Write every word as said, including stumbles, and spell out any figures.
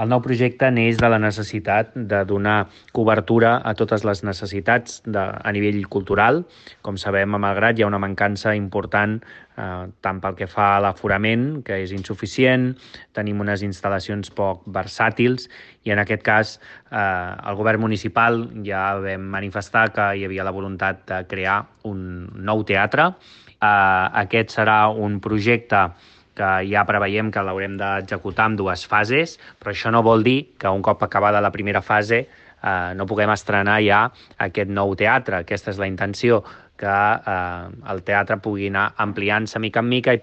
El nou projecte neix de la necessitat de donar cobertura a totes les necessitats de, a nivell cultural. Com sabem, a Malgrat hi ha una mancança important eh, tant pel que fa a l'aforament, que és insuficient, tenim unes instal·lacions poc versàtils i en aquest cas eh, el govern municipal ja vam manifestar que hi havia la voluntat de crear un nou teatre. Eh, aquest serà un projecte que ja preveiem que l'haurem d'executar en dues fases, però això no vol dir que un cop acabada la primera fase eh, no puguem estrenar ja aquest nou teatre. Aquesta és la intenció, que eh, el teatre pugui anar ampliant-se mica en mica i